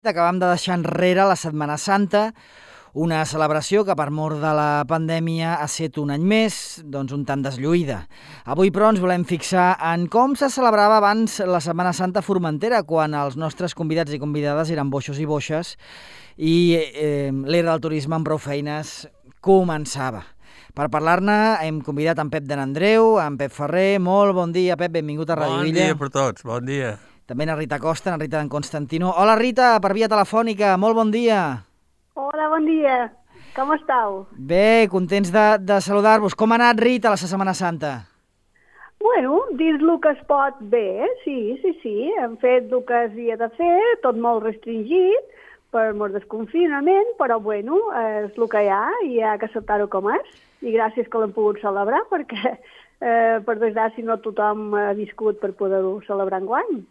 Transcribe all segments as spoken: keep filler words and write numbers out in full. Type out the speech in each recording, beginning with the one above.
Acabam de deixar enrere la Setmana Santa, una celebració que per mort de la pandèmia ha estat un any més, doncs un tant deslluïda. Avui, però, ens volem fixar en com se celebrava abans la Setmana Santa a Formentera, quan els nostres convidats i convidades eren boixos i boixes i eh, l'era del turisme amb prou feines començava. Per parlar-ne hem convidat en Pep de n'Andreu, en Pep Ferrer. Molt bon dia, Pep, benvingut a Ràdio Illa. Bon dia per tots, bon dia. També na Rita Costa, na Rita d'en Constantino. Hola, Rita, per via telefònica, molt bon dia. Hola, bon dia. Com estàu? Bé, contents de, de saludar-vos. Com ha anat, Rita, la Setmana Santa? Bueno, dins el que es pot bé, sí, sí, sí. Hem fet el que s'hi ha de fer, tot molt restringit, per molt desconfinament, però bueno, és el que hi ha i hi ha que acceptar-ho com és. I gràcies que l'hem pogut celebrar, perquè eh, per desgràcia no tothom ha viscut per poder-ho celebrar enguany.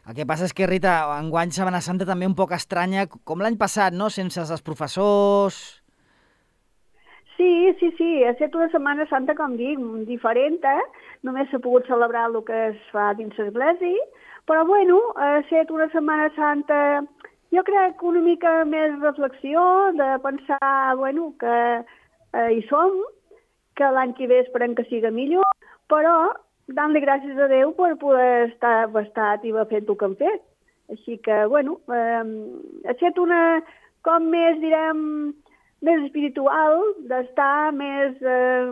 El que passa és que, Rita, enguany Setmana Santa també un poc estranya, com l'any passat, no?, sense els professors. Sí, sí, sí, ha estat una Setmana Santa, com dic, diferent, eh? Només s'ha pogut celebrar el que es fa dins l'església, però bueno, ha estat una Setmana Santa, jo crec que una mica més reflexió, de pensar, bueno, que eh, hi som, que l'any que ve esperem que siga millor, però dant-li gràcies a Déu per poder estar bastat i haver fet el que hem fet. Així que, bueno, eh, ha estat una, com més, direm, més espiritual, d'estar més eh,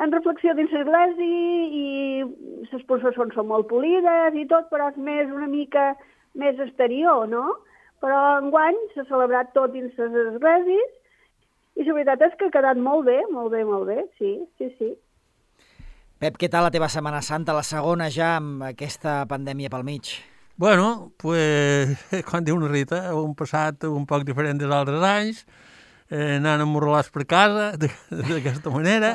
en reflexió dins l'església i les processons són molt polides i tot, però és més una mica més exterior, no? Però enguany s'ha celebrat tot dins les esglésies i la veritat és que ha quedat molt bé, molt bé, molt bé, sí, sí, sí. Pep, què tal la teva Setmana Santa, la segona ja amb aquesta pandèmia pel mig? Bueno, pues, com diu una Rita, hem passat un poc diferent dels altres anys, eh, anant emmorrolats per casa, d'aquesta manera,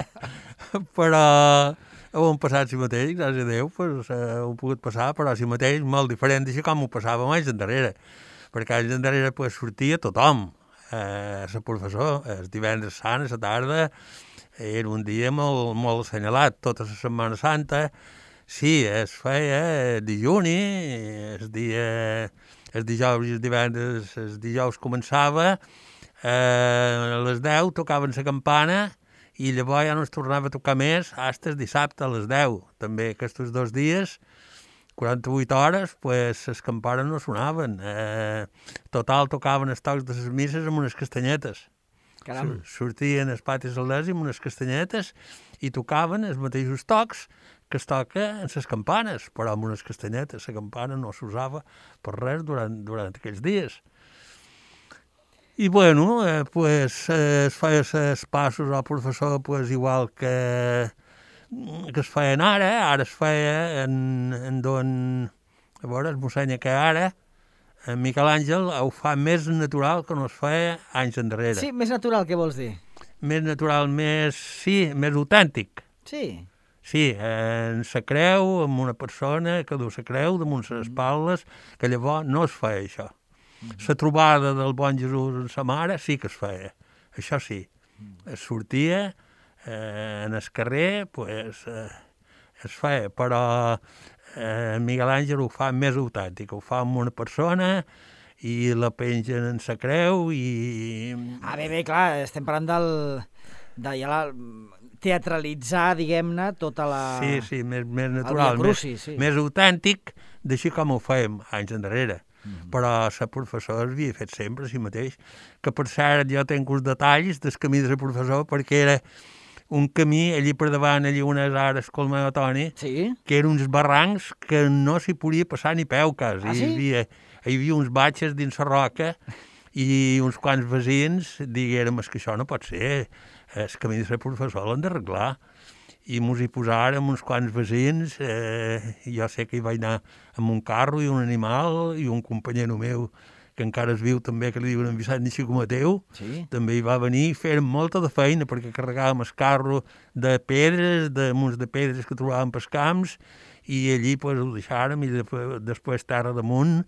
però hem passat si mateix, gràcies a Déu, pues, eh, hem pogut passar, però si mateix molt diferent d'això com ho passàvem anys endarrere, perquè anys endarrere pues, sortia tothom, eh, el professor, el divendres sant, a la tarda, era un dia molt, molt assenyalat, tota la Setmana Santa. Sí, es feia dijuni, el dia, el dijous i el divendres, el dijous començava, eh, a les deu tocaven la campana i llavors ja no es tornava a tocar més fins el dissabte a les deu. També aquests dos dies, quaranta-vuit hores, pues, les campanes no sonaven. Eh, total, tocaven els tocs de les misses amb unes castanyetes. Caram. Sortien els patis al les amb unes castanyetes i tocaven els mateixos tocs que es toca en les campanes, però amb unes castanyetes. La campana no s'usava per res durant, durant aquells dies. I, bueno, eh, pues, eh, es feia els passos al professor pues, igual que, que es feien ara. Ara es feia en, en don... A veure, es mossenya que ara... En Miquel Àngel ho fa més natural que no es feia anys endarrere. Sí, més natural, què vols dir? Més natural, més, sí, més autèntic. Sí. Sí, en la creu, amb una persona que du la creu damunt les espatlles, que llavors no es feia això. La trobada del bon Jesús amb sa mare sí que es feia, això sí. Es sortia eh, en el carrer, pues, eh, es feia, però... Eh, Miguel Àngel ho fa més autèntic, ho fa amb una persona i la pengen en sa creu i... Ah, bé, bé, clar, estem parlant del... de ja la... teatralitzar, diguem-ne, tota la... Sí, sí, més, més natural, cruci, més, sí. més autèntic, d'així com ho fèiem anys endarrere. Mm-hmm. Però la professora havia fet sempre si mateix, que per cert jo tenc uns detalls del camí de la professora perquè era un camí, allí per davant, allí unes ares com el Toni, sí? Que eren uns barrancs que no s'hi podia passar ni peu, quasi. Ah, sí? Hi havia, hi havia uns batxes dins la roca i uns quants veïns diguérem que això no pot ser, el camí de la professora l'han d'arreglar. I mos hi posàrem uns quants veïns, eh, jo sé que hi vaig anar amb un carro i un animal i un companyero meu que encara es viu també, que li diuen en Vicent Nixico Mateu, sí? També hi va venir i fèrem molta de feina perquè carregàvem el carro de pedres, de munts de pedres que trobàvem pels camps i allí pues, ho deixàrem i després, després terra damunt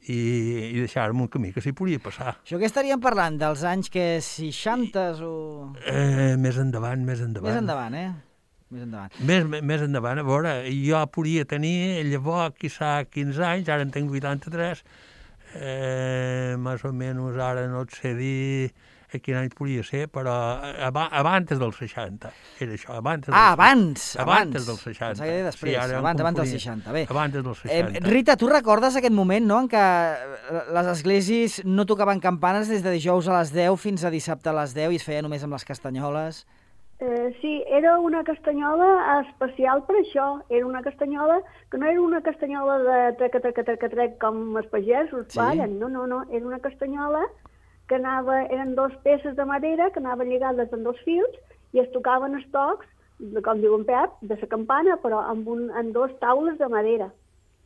i, i deixàrem un camí que s'hi podia passar. Això que estaríem parlant, dels anys que seixanta o... Eh, més endavant, més endavant. Més endavant, eh? Més endavant. Més, més endavant, a veure, jo podia tenir llavors, quizà quinze anys, ara en tinc vuitanta-tres, eh, més o menys ara no et sé dir a quin any podia ser, però ab abans dels seixanta, era això, abans dels Ah, abans, abans abans. dels seixanta. Pensava que era després, Sí, ara em abans, abans dels confonia. seixanta, bé. Abans dels seixanta. Eh, Rita, tu recordes aquest moment, no?, en què les esglésies no tocaven campanes des de dijous a les deu fins a dissabte a les deu i es feia només amb les castanyoles? Eh, sí, era una castanyola especial per això. Era una castanyola que no era una castanyola de treca, treca, treca, treca, com els pagesos Sí. ballen. No, no, no. Era una castanyola que anava, eren dos peces de madera que anaven lligades en dos fils i es tocaven els tocs, com diu en Pep, de la campana, però amb, un, amb dos taules de madera.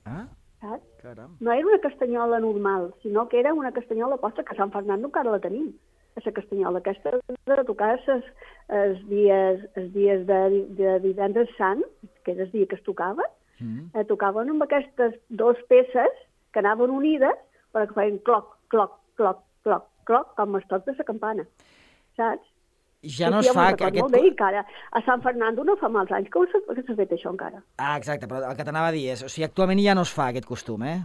Ah, Saps? caram. No era una castanyola normal, sinó que era una castanyola posta que a Sant Fernando encara la tenim. La castanyola aquesta de tocar els, els dies, els dies de, de divendres sant, que era el dia que es tocava, Mm. eh, tocaven amb aquestes dos peces que anaven unides perquè feien cloc, cloc, cloc, cloc, cloc, com els tocs de la campana, saps? Ja no es fa... Que, aquest... molt bé, encara. A Sant Fernando no fa mals anys que s'ha que fet això encara. Ah, exacte, però el que t'anava a dir és... O sigui, actualment ja no es fa aquest costum, eh?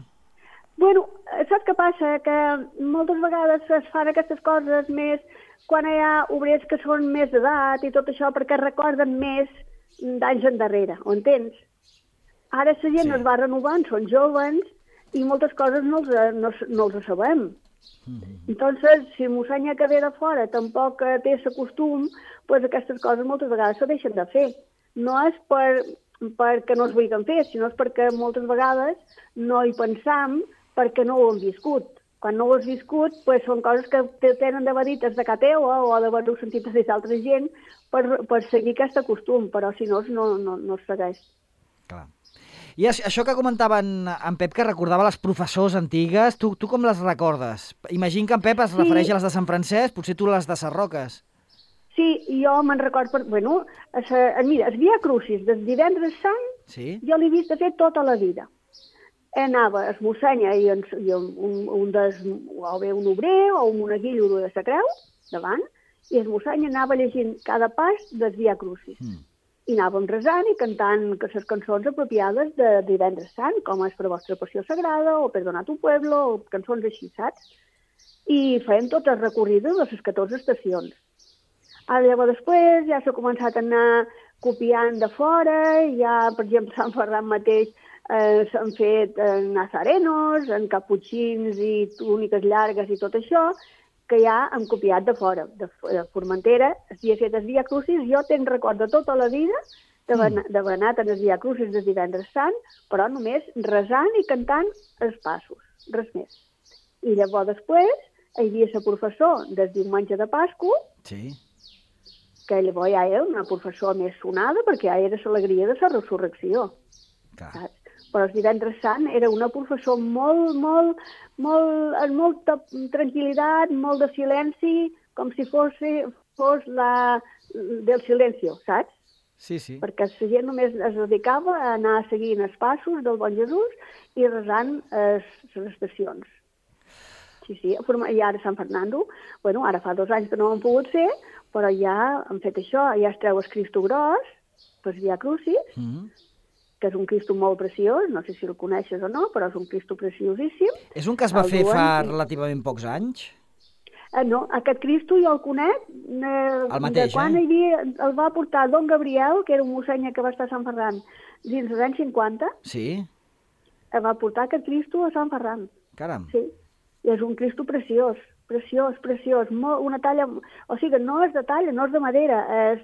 Bueno, saps què passa? Que moltes vegades es fan aquestes coses més quan hi ha obrers que són més d'edat i tot això perquè recorden més d'anys endarrere, ho entens? Ara la gent Sí. sí. es va renovant, són joves i moltes coses no els, no, no els sabem. Mm-hmm. Entonces, si mossenya que ve de fora tampoc té el costum, pues aquestes coses moltes vegades se deixen de fer. No és per, perquè no es vulguin fer, sinó és perquè moltes vegades no hi pensam perquè no ho hem viscut. Quan no ho has viscut, pues, són coses que te tenen de verites de casa teua o d'haver-ho sentit a d'altra gent per, per seguir aquest costum, però si no, no, no, no es segueix. Clar. I això que comentava en, en Pep, que recordava les professors antigues, tu, tu com les recordes? Imagino que en Pep es Sí. refereix a les de Sant Francesc, potser tu les de Sarroques. Sí, jo me'n record, per, bueno, a sa, mira, el Via Crucis del divendres sant, Sí? jo l'he vist de fer tota la vida. Anava es mossenya i, en, i un, un des, o bé un obrer o un monaguillo de la creu, davant, i es mossenya anava llegint cada pas del Via Crucis. Mm. I anàvem resant i cantant les cançons apropiades de divendres sant, com és per vostra passió sagrada, o Perdona tu pueblo, o cançons així, saps? I fèiem tot el recorrido de les catorze estacions. Ara llavors després ja s'ha començat a anar copiant de fora, ja, per exemple, Sant Ferran mateix eh, s'han fet eh, nazarenos, en caputxins i túniques llargues i tot això, que ja hem copiat de fora, de, de Formentera. Si he fet el Via Crucis, jo tenc record de tota la vida d'haver mm. anat en el Via Crucis de divendres sant, però només resant i cantant els passos, res més. I llavors després hi havia la professor del diumenge de Pasqua, Sí. que llavors ja era una professor més sonada perquè ja era l'alegria de la resurrecció. Clar. Saps? Però el divendres sant era una professor molt, molt, molt, amb molta tranquil·litat, molt de silenci, com si fos, fos la del silencio, saps? Sí, sí. Perquè la gent només es dedicava a anar seguint els passos del bon Jesús i resant les estacions. Sí, sí, i ara a Sant Fernando, bueno, ara fa dos anys que no ho han pogut fer, però ja han fet això, ja es treu el Cristo gros, per Via Crucis, Mm. que és un Cristo molt preciós, no sé si el coneixes o no, però és un Cristo preciosíssim. És un que es va El fer duen fa i- relativament pocs anys? Eh, no, aquest Cristo jo el conec eh, El mateix, de quan eh? hi havia, el va portar Don Gabriel, que era un mossenya que va estar a Sant Ferran dins dels anys cinquanta, Sí? el va portar aquest Cristo a Sant Ferran. Caram. Sí, i és un Cristo preciós, preciós, preciós, molt, una talla, o sigui, no és de talla, no és de madera, és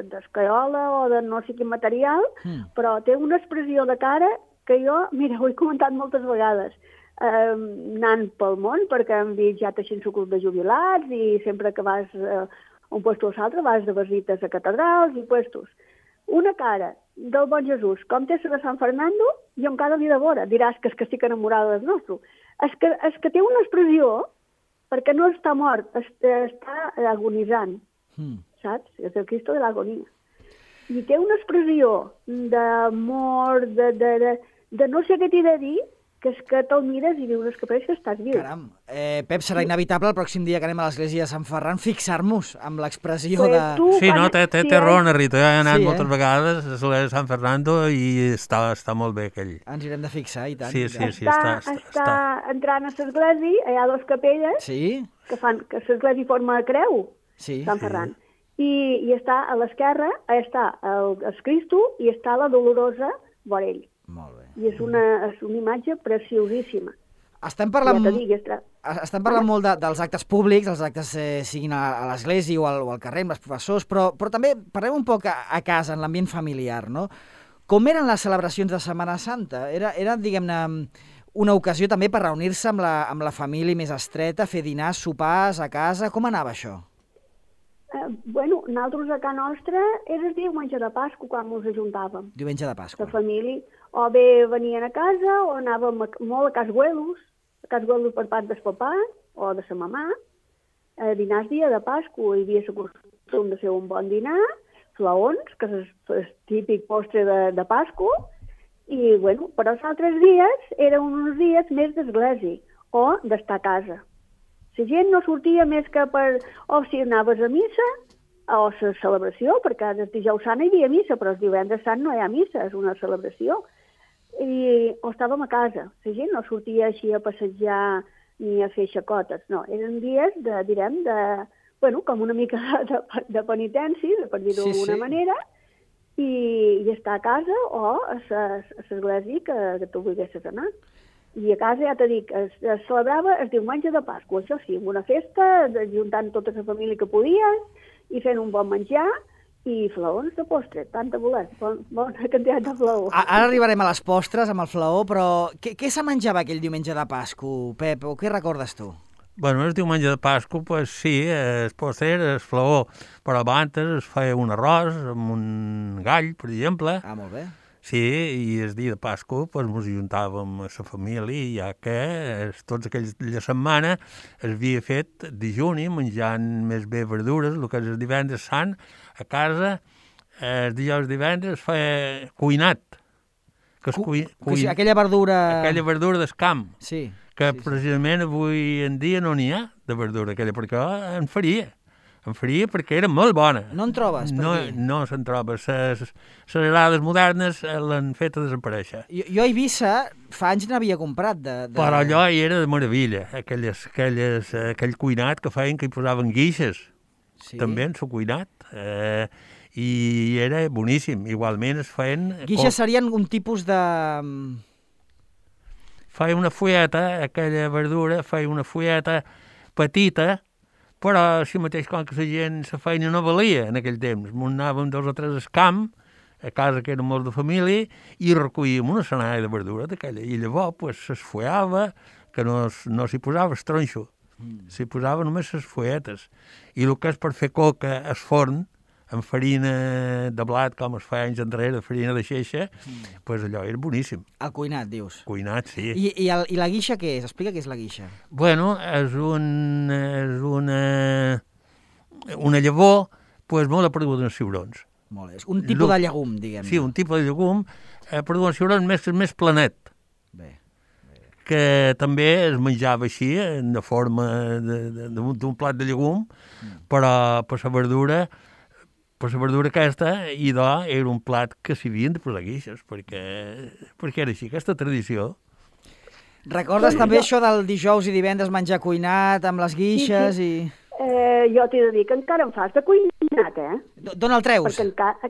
d'escaiola o de no sé quin material, Mm. però té una expressió de cara que jo, mira, ho he comentat moltes vegades, eh, anant pel món, perquè hem vist ja teixint el club de jubilats i sempre que vas eh, a un puesto o l'altre vas de visites a catedrals i puestos. Una cara del bon Jesús, com té la de Sant Fernando, jo encara l'he de veure. Diràs que és que estic enamorada del nostre. És que, és que té una expressió, perquè no està mort, està agonitzant, Mm. saps? És el Cristo de l'agonia. I té una expressió d'amor, de, de, de, de no sé què t'he de dir, que és que te'l mires i dius que pareix que estàs viu. Caram. Eh, Pep, serà inevitable el pròxim dia que anem a l'església de Sant Ferran fixar-nos amb l'expressió Pues de... tu, Sí, no, quan- té, té, si té és- raó, Rita. He anat Sí, eh? moltes vegades a l'església de Sant Fernando i està, està molt bé aquell. Ens hi hem de fixar, i tant. Sí, i sí, tant. sí, està, està, està, està està. entrant a l'església, hi ha dues capelles Sí? que fan que l'església forma creu, Sí. Sant Sí. Ferran. I, i està a l'esquerra, està el, el Cristo i està la Dolorosa Vorell. Molt bé. I és una, és una imatge preciosíssima. Estem parlant, Ja t'ho dic, és tra- estem parlant molt de, dels actes públics, els actes eh, siguin a, a l'església o, al, o al carrer amb els professors, però, però també parlem un poc a, a casa, en l'ambient familiar, no? Com eren les celebracions de Setmana Santa? Era, era diguem-ne, una ocasió també per reunir-se amb, la, amb la família més estreta, fer dinars, sopars a casa... Com anava això? Eh, bueno, nosaltres a casa nostra era el diumenge de Pasqua quan ens ajuntàvem. Diumenge de La Pasqua. família, o bé venien a casa o anàvem a, molt a cas Güelos, a cas Güelos per part del papà o de sa mamà, a dinars dia de Pasqua. Hi havia la costum de fer un bon dinar, flaons, que és el típic postre de, de Pasqua, i, bueno, però els altres dies eren uns dies més d'església o d'estar a casa. La gent no sortia més que per... o si anaves a missa, o la celebració, perquè el dijous sant hi havia missa, però el divendres sant no hi ha missa, és una celebració. I, o estàvem a casa. La gent no sortia així a passejar ni a fer xacotes, no. Eren dies, de, direm, de... bueno, com una mica de, de penitència, per dir-ho Sí, d'alguna sí. manera, i, i estar a casa o a l'església que, que tu volguessis anar. I a casa, ja t'he dit, es, es celebrava el diumenge de Pasqua, això sí, amb una festa, de- juntant tota la família que podies, i fent un bon menjar, i flaons de postre, tant de voler, bon, bona quantitat de flaons. A- Ara arribarem a les postres amb el flaó, però què, què se menjava aquell diumenge de Pasqua, Pep? O què recordes tu? Bueno, el diumenge de Pasqua, pues sí, es pot ser el flaó, però abans es feia un arròs amb un gall, per exemple. Ah, molt bé. Sí, i el dia de Pasqua pues, ens ajuntàvem a la família, ja que es, tots aquells de la setmana es havia fet dijuni, menjant més bé verdures, el que és el divendres sant, a casa, el dijous divendres es feia cuinat. Que es Cu- cui, que sí, cuin, aquella verdura... aquella verdura del camp, Sí. que sí, sí. precisament avui en dia no n'hi ha de verdura aquella, perquè en faria. En faria perquè era molt bona. No en trobes, per no, aquí? No se'n troba. Les agrades modernes eh, l'han fet a desaparèixer. Jo, jo a Eivissa fa anys n'havia comprat de... de... Però allò hi era de meravella, aquelles, aquelles, eh, aquell cuinat que feien que hi posaven guixes, Sí. també en el cuinat, eh, i era boníssim. Igualment es feien... Guixes serien un tipus de... Feia una fulleta, aquella verdura, feia una fulleta petita, però així mateix com que la gent la feina no valia en aquell temps. M'ho anàvem dos o tres al camp, a casa que érem molts de família, i recollíem una senalla de verdura d'aquella. I llavors pues, s'esfollava, que no, es- no s'hi posava el tronxo, mm. s'hi posava només les fulletes. I el que és per fer coca al forn, amb farina de blat, com es feia anys enrere, farina de xeixa, mm. pues allò era boníssim. El cuinat, dius. Cuinat, sí. I, i, el, I la guixa què és? Explica què és la guixa. Bueno, és, un, és una, una llavor pues, molt apareguda en ciurons. Molt bé. És un tipus Lu- de llegum, diguem. Sí, un tipus de llegum apareguda en ciurons més, més planet, Bé. que també es menjava així, de forma de- de- d'un d'un plat de llegum, mm. però per la verdura, per la verdura aquesta, i de, era un plat que s'hi havien de posar guixes, perquè, perquè era així, aquesta tradició. Recordes també això del dijous i divendres menjar cuinat amb les guixes Sí, i... Eh, jo t'he de dir que encara em fas de cuinat, eh? D- D'on el treus? Perquè encara...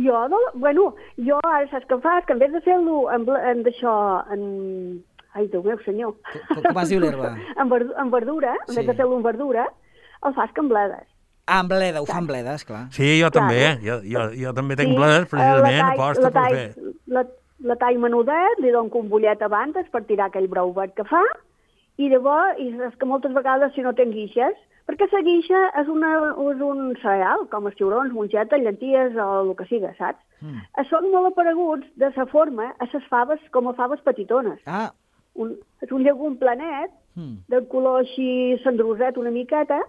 Jo, no, bueno, jo ara saps què em fas? Que en vez de fer-lo en, bla- en d'això, en... Ai, Déu meu senyor. Com- com es diu l'herba? en, verdu en verdura, en Sí. vez de fer-lo en verdura, el fas que en bledes. Ah, amb bleda, ho fan bledes, clar. Sí, jo Clar. també, eh? jo, jo, jo també tenc Sí, bledes, eh, precisament, la aposta la per tall- fer. La, la tall menudet, li dono un bullet abans per tirar aquell brou verd que fa, i llavors, i és que moltes vegades si no tens guixes, perquè la guixa és, una, és un cereal, com els ciurons, mongeta, llenties o el que siga, saps? Mm. Són molt apareguts de sa forma a les faves com a faves petitones. Ah, Un, és un llegum planet, mm. de color així cendroset una miqueta,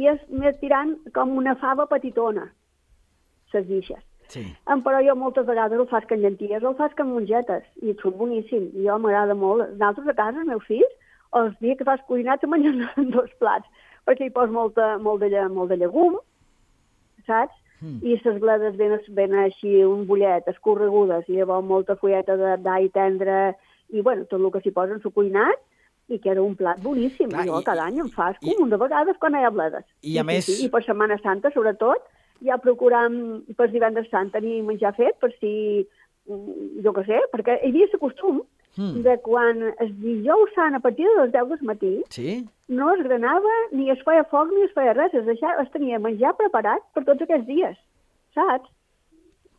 i és més tirant com una fava petitona, les guixes. Sí. Um, però jo moltes vegades el faig amb llenties o el faig amb mongetes, i et surt boníssim. I jo m'agrada molt. Nosaltres a casa, els meus fills, els dies que fas cuinat se mengen dos plats, perquè hi pos molta, molt, de, molt de llegum, saps? Mm. I les bledes ben, ben així, un bullet, escorregudes, i llavors molta fulleta d'all tendre, i bueno, tot el que s'hi posa en su cuinat, i que era un plat boníssim. Clar, jo i, cada any em fas com un de vegades quan hi ha bledes. I a sí, més... Sí, sí. I per Setmana Santa, sobretot, ja procuram per divendres sant tenir menjar fet, per si, jo què sé, perquè hi havia el costum mm. de quan el dijous sant, a partir de les deu del matí, sí? no es granava, ni es feia foc, ni es feia res, es, deixava, es tenia menjar preparat per tots aquests dies, saps?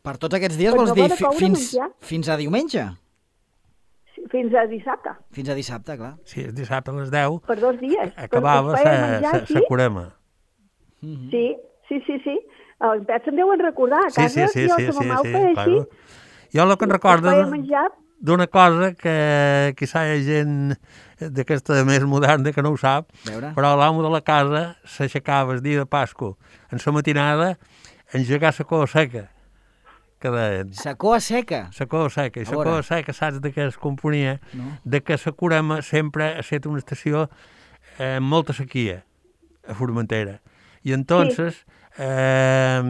Per tots aquests dies vols dir fi, fins, fins a diumenge? Fins a dissabte. Fins a dissabte, clar. Sí, és dissabte a les deu. Per dos dies. Acabava la curema. Sí, sí, sí, sí. Els pets se'n deuen recordar. A casa, sí, sí, sí, jo, sí, la sí, mama sí, ho feia així. Jo el que en recordo d'una cosa que quizà hi ha gent d'aquesta més moderna que no ho sap, però l'amo de la casa s'aixecava el dia de Pasqua en la matinada engegar la cova seca, que deien. La cova seca? La cova seca. I la cova seca, saps de què es componia? No. De que la Curema sempre ha estat una estació amb molta sequia a Formentera. I entonces sí. eh,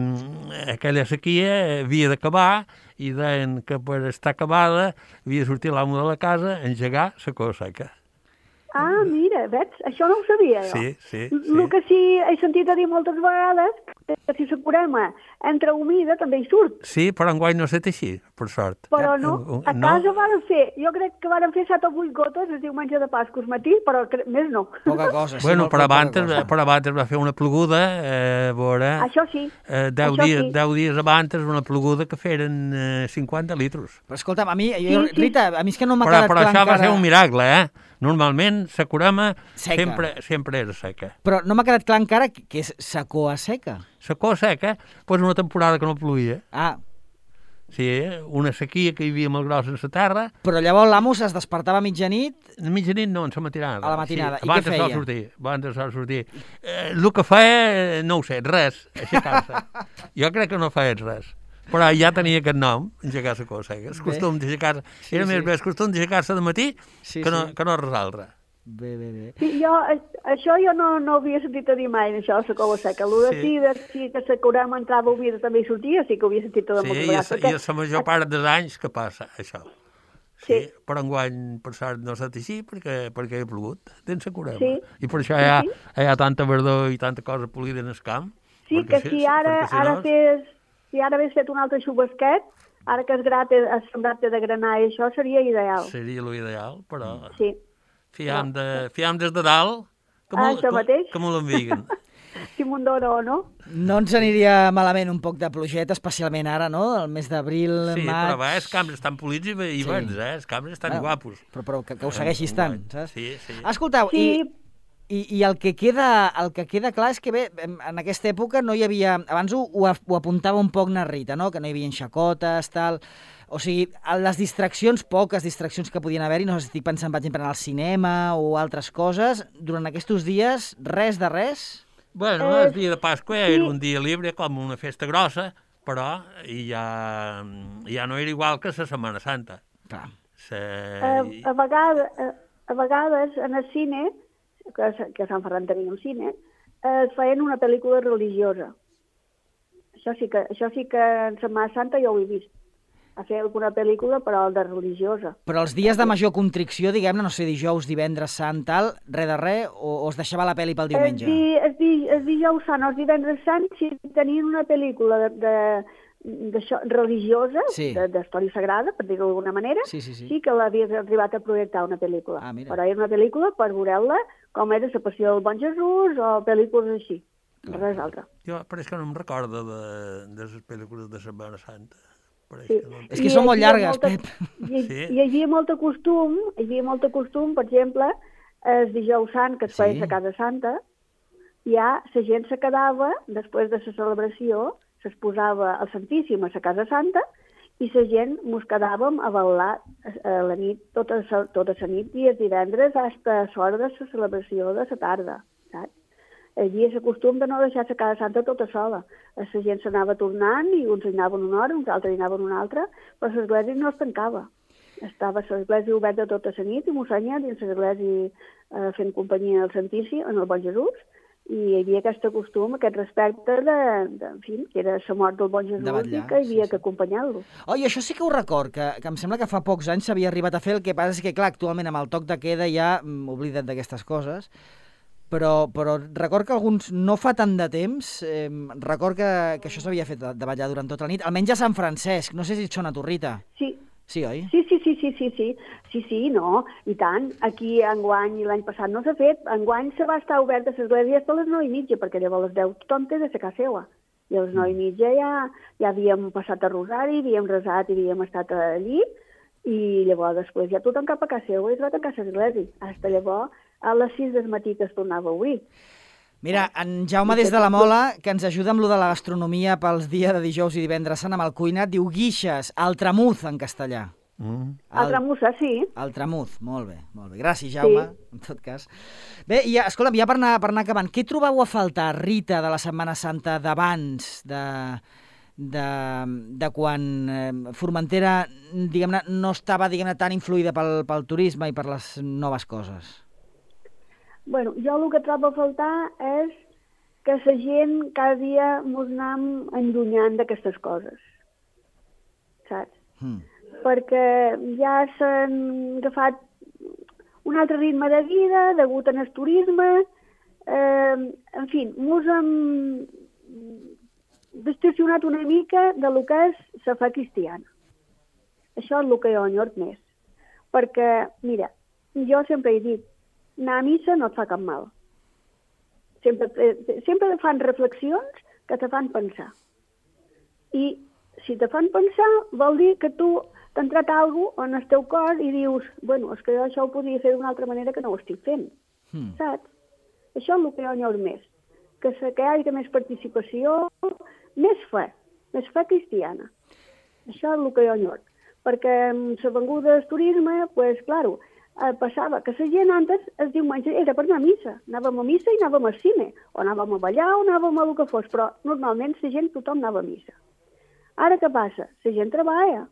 aquella sequia havia d'acabar i deien que per estar acabada havia de sortir l'amo de la casa a engegar la cova seca. Ah, mira, veig? Això no ho sabia, jo. Sí, sí. El sí. que sí he sentit a dir moltes vegades, que si la Curema entra humida també hi surt. Sí, però enguany no ha estat així, per sort. Però no, a casa no. Varen fer, jo crec que varen fer set o vuit gotes el diumenge de Pasqua al matí, però més no. Poca cosa. Sí, bueno, però abans, però abans va fer una ploguda, eh, veure... Això sí. Eh, deu, Això dies, sí. deu dies abans una ploguda que feren eh, cinquanta litros. Però escolta'm, a mi, jo, sí, sí. Rita, a mi és que no m'ha però, quedat però clar encara... Però això va ser un miracle, eh? Normalment, la Curema sempre, sempre era seca. Però no m'ha quedat clar encara que és la coa seca. La coa seca, doncs una temporada que no plovia. Ah. Sí, una sequia que hi havia molt grossa en la terra. Però llavors l'amo es despertava a mitjanit? A mitjanit no, en la matinada. A la matinada. Sí, I què feia? Sortir, abans de sol sortir. Eh, el que feia, no ho sé, res, aixecar-se. Jo crec que no feia res. Però ja tenia aquest nom, engegar la cosa seca. El costum d'aixecar-se. Sí, era sí. més bé el costum d'aixecar-se de matí sí, que, no, sí. que no resoldre. Bé, bé, bé. Sí, jo, això jo no, no havia sentit a dir mai, això, la cova seca. El de sí, de, sí que la Curema entrava humida també hi sortia, sí que ho havia sentit tot sí, moltes vegades. Sí, i la major part dels anys que passa, això. Sí, sí. Però enguany, per sort, no s'ha estat així perquè, perquè ha plogut dins la Curema. Sí. I per això hi ha, sí, sí. hi ha tanta verdor i tanta cosa polida en el camp. Sí, que si ara, si ara no... fes... Si ara hagués fet un altre xubasquet, ara que es grat es sembrat de granar i això seria ideal. Seria l'ideal, però... Sí. Fiam, de, fiam des de dalt, que ah, me, que, que me l'enviguen. Si m'ho dono o no. No ens aniria malament un poc de plogeta, especialment ara, no? El mes d'abril, sí, maig... Sí, però va, els camps estan polits i, i sí. bons, eh? Els camps estan bueno, guapos. Però, però que, que ho segueixis tant, saps? Sí, sí. Escolteu, sí. i... I, i el, que queda, el que queda clar és que bé, en aquesta època no hi havia... Abans ho, ho apuntava un poc na Rita, no? Que no hi havia xacotes, tal... O sigui, les distraccions, poques distraccions que podien haver-hi, no sé si estic pensant, per exemple, en el cinema o altres coses, durant aquests dies, res de res? Bueno, eh, el dia de Pasqua sí. Era un dia libre, com una festa grossa, però ja, ja no era igual que la Setmana Santa. Clar. Se... A, a, vegades, a, a vegades, en el cine... que, que a Sant Ferran teníem cine, es feien una pel·lícula religiosa. Això sí que, això sí que en Setmana Santa jo ho he vist. A fer alguna pel·lícula, però de religiosa. Però els dies de major contricció, diguem-ne, no sé, dijous, divendres, sant, tal, res de res, o, o es deixava la pel·li pel diumenge? El, di, el, di, el dijous sant, els divendres sant, si tenien una pel·lícula de... de d'això, religiosa, sí. d'història sagrada, per dir-ho d'alguna manera, sí, sí, sí. sí que l'havies arribat a projectar una pel·lícula. Ah, però era una pel·lícula per veure-la com era la passió del bon Jesús o pel·lícules així, clar. Res altre. Jo, però és que no em recordo de, de les pel·lícules de Setmana Santa. Sí. Que no... És que I són molt llargues, molta, Pep. Hi, sí. hi havia molt costum, hi havia molt costum, per exemple, el dijous sant, que es feia sí. a Casa Santa, ja la gent se quedava, després de la celebració, es posava al Santíssim a la Casa Santa i la gent mos quedàvem a bailar a la nit, tota, tota la nit i els divendres fins a l'hora de la celebració de la tarda, saps? hi havia el costum de no deixar la casa santa tota sola. La gent s'anava tornant i uns hi anaven una hora, uns altres hi anaven una altra, però l'església no es tancava. Estava l'església oberta tota la nit i mossenya dins l'església eh, fent companyia al Santíssim, en el Bon Jesús, i hi havia aquest costum, aquest respecte de, de en fi, que era la mort del Bon Jesús vetllar, i que hi havia sí, sí. que acompanyar-lo. Oh, i això sí que ho record, que, que em sembla que fa pocs anys s'havia arribat a fer, el que passa és que, clar, actualment amb el toc de queda ja mm, oblida't d'aquestes coses, però, però record que alguns, no fa tant de temps, eh, record que, que això s'havia fet de, de ballar durant tota la nit, almenys a Sant Francesc, no sé si et sona a tu, Rita. Sí. Sí, oi? Sí, sí, sí, sí, sí, sí, sí, sí, no, i tant. Aquí enguany i l'any passat no s'ha fet. Enguany se va estar oberta l'església fins a les nou i mitja, perquè llavors a les deu tothom té de ser casa seva. I a les nou i mitja ja, ja havíem passat a Rosari, havíem resat i havíem estat allí, i llavors després ja tothom cap a casa seva i es va tancar l'església. Fins llavors, a les sis del matí que es tornava a obrir. Mira, en Jaume des de la Mola, que ens ajuda amb lo de la gastronomia pels dies de dijous i divendres sant amb el cuinat, diu guixes, altramuz en castellà. Mm. El tramussa, sí. Altramuz, molt bé, molt bé. Gràcies, Jaume, sí. En tot cas. Bé, i escolta'm, ja per anar, per anar acabant, què trobeu a faltar, Rita, de la Setmana Santa d'abans, de, de, de quan eh, Formentera, diguem-ne, no estava, diguem-ne, tan influïda pel, pel turisme i per les noves coses? Bueno, jo el que trobo a faltar és que la gent cada dia mos anem allunyant d'aquestes coses, saps? Mm. Perquè ja s'han agafat un altre ritme de vida, degut al turisme, eh, en fi, mos hem distorsionat una mica de lo que és la fe cristiana. Això és el que jo enyor més. Perquè, mira, jo sempre he dit, anar a missa no et fa cap mal. Sempre, sempre fan reflexions que te fan pensar. I si te fan pensar, vol dir que tu t'ha entrat alguna cosa en el teu cor i dius, bueno, és que jo això ho podria fer d'una altra manera que no ho estic fent. Mm. Saps? Això és el que jo enyor més. Que, se, que hi hagi més participació, més fe, més fe cristiana. Això és el que jo enyor. Perquè amb la venguda del turisme, doncs, pues, claro, Eh, passava que la gent antes es diumenge era per anar a missa. Anàvem a missa i anàvem al cine, o anàvem a ballar o anàvem a el que fos, però normalment la gent, tothom anava a missa. Ara què passa? La gent treballa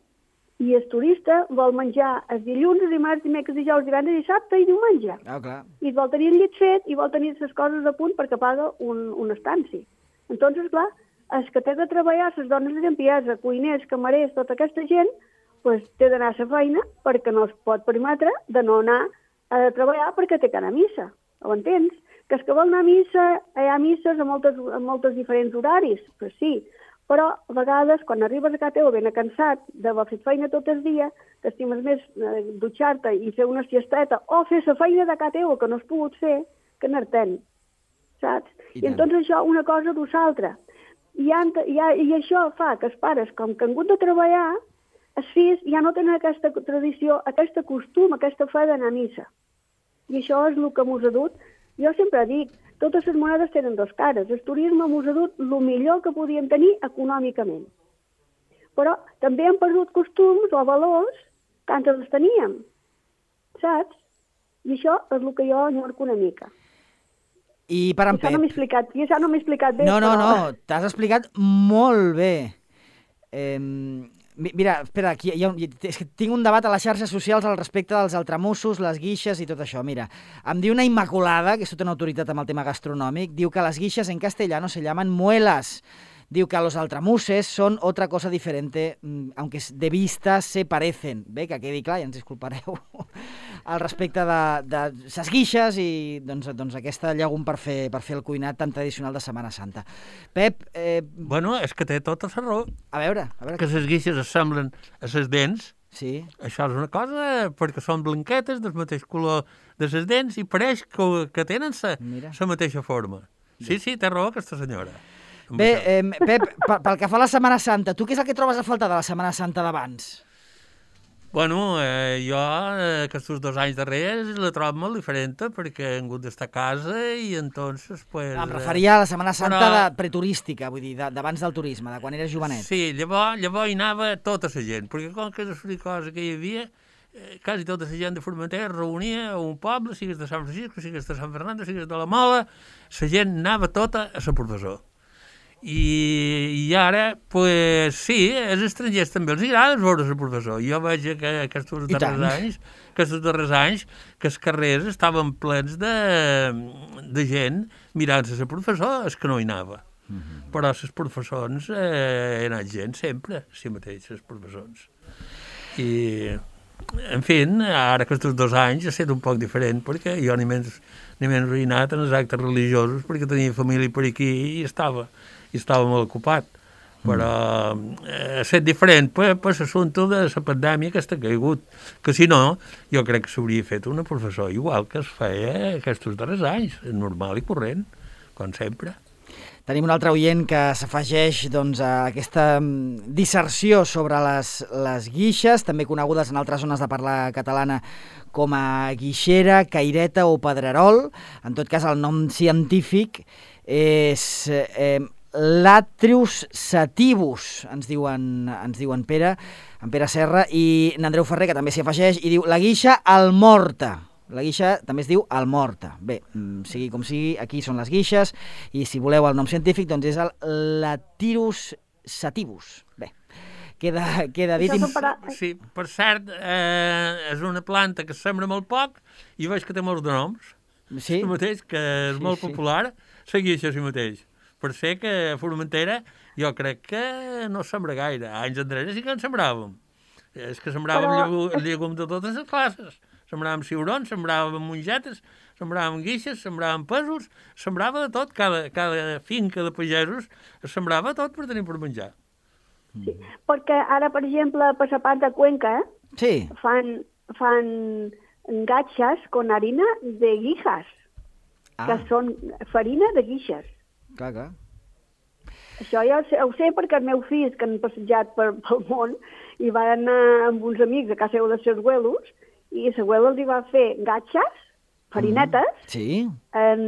i el turista vol menjar els dilluns, dimarts, dimecres, dijous, divendres, dissabte i diumenge. Ah, clar. I vol tenir el llit fet i vol tenir les coses a punt perquè paga un, un estanci. Entonces, clar, els que té de treballar, les dones de limpiesa, cuiners, camarers, tota aquesta gent, pues, té d'anar a la feina perquè no es pot permetre de no anar a treballar perquè té que anar a missa. Ho entens? Que els que volen anar a missa, hi ha misses a moltes, a moltes diferents horaris, pues sí, però a vegades quan arribes a casa teva ben cansat d'haver fet feina tot el dia, t'estimes més eh, dutxar-te i fer una siesteta o fer la feina de casa teva que no has pogut fer que anar-te'n, saps? I, I entonces això una cosa du l'altra. I, I, I això fa que els pares, com que han hagut de treballar, els fills ja no tenen aquesta tradició, aquest costum, aquesta fe d'anar a missa. I això és el que mos ha dut. Jo sempre dic, totes les monedes tenen dos cares. El turisme mos ha dut el millor que podíem tenir econòmicament. Però també hem perdut costums o valors que antes els teníem. Saps? I això és el que jo enyorco una mica. I per en Pep. No m'he explicat, I això no m'he explicat bé. No, no, però... no, t'has explicat molt bé. Eh... Mira, espera, aquí hi ha un, és que tinc un debat a les xarxes socials al respecte dels altramussos, les guixes i tot això. Mira, em diu una Immaculada, que és tota una autoritat amb el tema gastronòmic, diu que les guixes en castellano se llaman muelas. Diu que los altramuses son otra cosa diferente, aunque de vista se parecen. Bé, que quedi clar, ja ens disculpareu, al respecte de, de ses guixes i doncs, doncs aquesta llegum per fer, per fer el cuinat tan tradicional de Setmana Santa. Pep... Eh... Bueno, és que té tota la raó. A veure, a veure... Que les guixes es semblen a les dents. Sí. Això és una cosa, perquè són blanquetes del mateix color de les dents i pareix que, que tenen la mateixa forma. Sí, sí, té raó aquesta senyora. Bé, eh, Pep, pel que fa a la Setmana Santa, tu què és el que trobes a faltar de la Setmana Santa d'abans? Bueno, eh, jo eh, aquests dos anys darrers la trobo molt diferent perquè he hagut d'estar a casa i entonces... Pues, em referia a la Setmana Santa però... de preturística, vull dir, d'abans del turisme, de quan eres jovenet. Sí, llavors, llavors hi anava tota la gent, perquè com que és una cosa que hi havia, eh, quasi tota la gent de Formentera es reunia a un poble, sigues de Sant Francisco, sigues de Sant Fernando, sigues de la Mola, la gent anava tota a ser professor. I, i ara, pues, sí, als estrangers també els agrada veure ser professor. Jo veig que aquests darrers anys, aquests darrers anys que els carrers estaven plens de, de gent mirant-se ser professor, és que no hi anava. Mm-hmm. Però els professors eh, he anat gent sempre, si mateix, els professors. I, en fi, ara aquests dos anys ha estat un poc diferent, perquè jo ni menys, ni menys he anat en els actes religiosos, perquè tenia família per aquí i estava, i estava molt ocupat. Però eh, ha estat diferent per, per l'assumpte de la pandèmia que està caigut, que si no, jo crec que s'hauria fet una professor igual que es feia aquests darrers anys, normal i corrent, com sempre. Tenim un altre oient que s'afegeix doncs, a aquesta disserció sobre les, les guixes, també conegudes en altres zones de parla catalana com a guixera, caireta o pedrerol. En tot cas, el nom científic és eh, Latrius sativus, ens diuen, ens diuen Pere, en Pere Serra, i n'Andreu Ferrer, que també s'hi afegeix, i diu la guixa almorta. La guixa també es diu almorta. Bé, sigui com sigui, aquí són les guixes, i si voleu el nom científic, doncs és el Latirus sativus. Bé, queda, queda dit... Sí, per cert, eh, és una planta que sembra molt poc i veig que té molts de noms. Sí? El mateix, que és sí, molt sí. popular, la guixa sí mateix. Per ser que a Formentera jo crec que no sembra gaire. Anys enrere sí que en sembràvem. És que sembràvem Però... llegum de totes les classes. Sembràvem ciurons, sembràvem mongetes, sembràvem guixes, sembràvem pèsols, sembrava de tot, cada, cada finca de pagesos es sembrava tot per tenir per menjar. Sí, perquè ara, per exemple, per la part de Cuenca, sí. fan, fan gatxes con harina de guijas, ah. que són farina de guixes. Clar, clar. Això ja ho sé, ho sé perquè els meus fills, que han passejat per, pel món, i van anar amb uns amics a casa seu de seus abuelos, i la abuela els hi va fer gatxes, farinetes, mm, sí. en,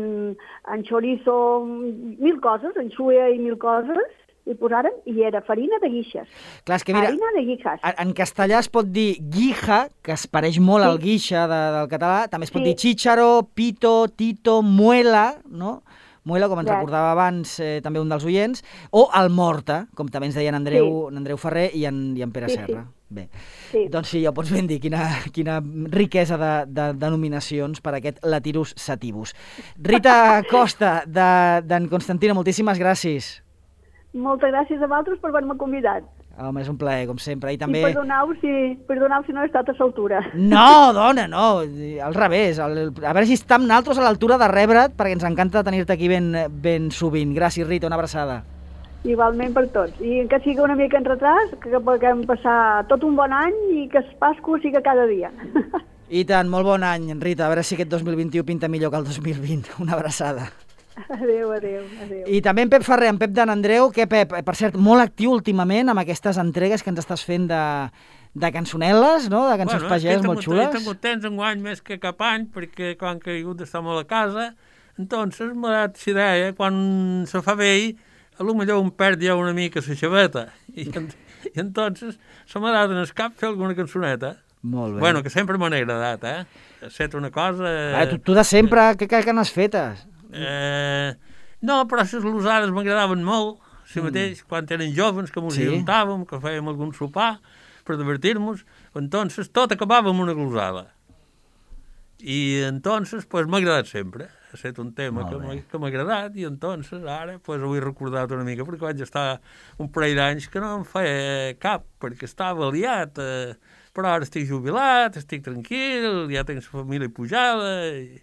en chorizo, mil coses, en xuea i mil coses, i posaren, i era farina de guixes. Clar, és que mira, farina de guixes. En castellà es pot dir guija, que es pareix molt sí. al guixa de, del català, també es pot sí. dir chícharo, pito, tito, muela, no? Muela, com ens yes. recordava abans eh, també un dels oients, o almorta, com també ens deien Andreu, sí. Andreu Ferrer i en, i en Pere sí, Serra. Sí. Bé, sí. Doncs sí, ja ho pots ben dir, quina, quina riquesa de, de denominacions per aquest Latirus sativus. Rita Costa, d'en Constantino, moltíssimes gràcies. Moltes gràcies a vosaltres per haver-me convidat. Home, és un plaer, com sempre. I també... I perdoneu si, perdoneu si no he estat a l'altura. No, dona, no, al revés. El, a veure si estem nosaltres a l'altura de rebre't, perquè ens encanta tenir-te aquí ben, ben sovint. Gràcies, Rita, una abraçada. Igualment per tots. I que sigui una mica en retras, que puguem passar tot un bon any i que el Pasqua sigui cada dia. I tant, molt bon any, Rita. A veure si aquest dos mil vint-i-u pinta millor que el dos mil vint. Una abraçada. Adéu, adéu, adéu. I també en Pep Ferrer, en Pep d'en Andreu, que Pep, per cert, molt actiu últimament amb aquestes entregues que ens estàs fent de, de cançonel·les, no? De cançons bueno, pagès molt xules. He tingut temps enguany més que cap any, perquè quan que he hagut d'estar molt a casa, entonces m'ha dat la idea, quan se fa vell, a lo millor un perd ja una mica la xaveta, i, i entonces se m'ha dat en el cap fer alguna cançoneta. Molt bé. Bueno, que sempre m'ha agradat, eh? Ha estat una cosa... Ah, tu, tu de sempre, eh, què, què n'has fetes? Eh, no, però les losades m'agradaven molt, si mm. mateix, quan eren joves, que ens sí. juntàvem, que fèiem algun sopar per divertir-nos, entonces tot acabava amb una glosada. I entonces, pues, m'ha agradat sempre. Ha estat un tema molt que m'ha agradat i entonces ara pues, ho he recordat una mica perquè vaig estar un parell d'anys que no em feia cap, perquè estava liat, eh, però ara estic jubilat, estic tranquil, ja tinc la família pujada i...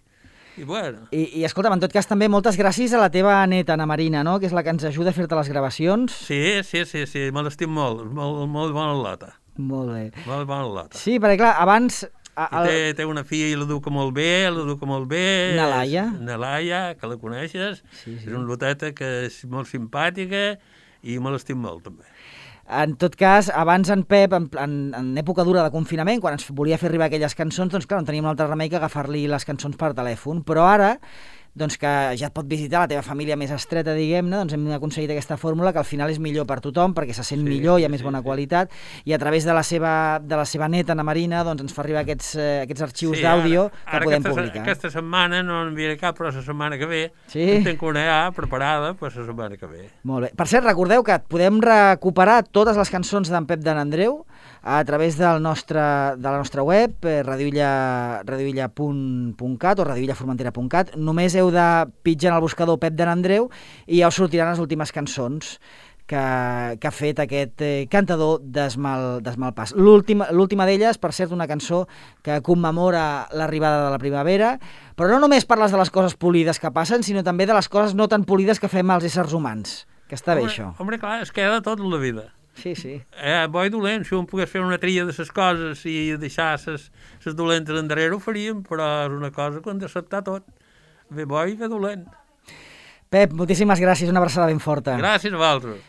I, bueno. I, I escolta'm, en tot cas també moltes gràcies a la teva neta, Ana Marina, no? Que és la que ens ajuda a fer-te les gravacions. Sí, sí, sí, sí, me l'estim molt, molt, molt bona lota. Molt bé. Molt bona lota. Sí, perquè clar, abans... A, el... té, té una filla i l'educa molt bé, l'educa molt bé. Nalaia. Nalaia, que la coneixes, sí, sí. És una loteta que és molt simpàtica i me l'estim molt també. En tot cas, abans en Pep, en, en, en època dura de confinament, quan ens volia fer arribar aquelles cançons, doncs clar, no teníem un altre remei que agafar-li les cançons per telèfon. Però ara, doncs que ja et pot visitar la teva família més estreta, diguem-ne, doncs hem aconseguit aquesta fórmula que al final és millor per tothom, perquè se sent sí, millor, hi ha més sí, bona sí. qualitat, i a través de la seva, de la seva neta, Ana Marina, doncs ens fa arribar aquests, eh, aquests arxius sí, d'àudio que ara podem aquesta, publicar. Aquesta setmana no enviaré cap, però la setmana que ve sí? en tinc una ja preparada per la setmana que ve. Molt bé. Per cert, recordeu que podem recuperar totes les cançons d'en Pep de n'Andreu a través del nostre, de la nostra web, eh, radioilla punt cat o radioillaformentera punt cat. Només heu de pitjar en el buscador Pep de n'Andreu i ja us sortiran les últimes cançons que, que ha fet aquest eh, cantador d'Esmalpàs. L'última d'elles, per cert, una cançó que commemora l'arribada de la primavera, però no només parles de les coses polides que passen, sinó també de les coses no tan polides que fem els éssers humans, que està bé home, això. Home, clar, es queda tot en la vida. Sí, sí. Eh, bo i dolent, si un pogués fer una tria de les coses i deixar les dolentes endarrere ho faríem, però és una cosa que hem d'acceptar tot. Bé bo i bé dolent. Pep, moltíssimes gràcies, una abraçada ben forta. Gràcies a vosaltres.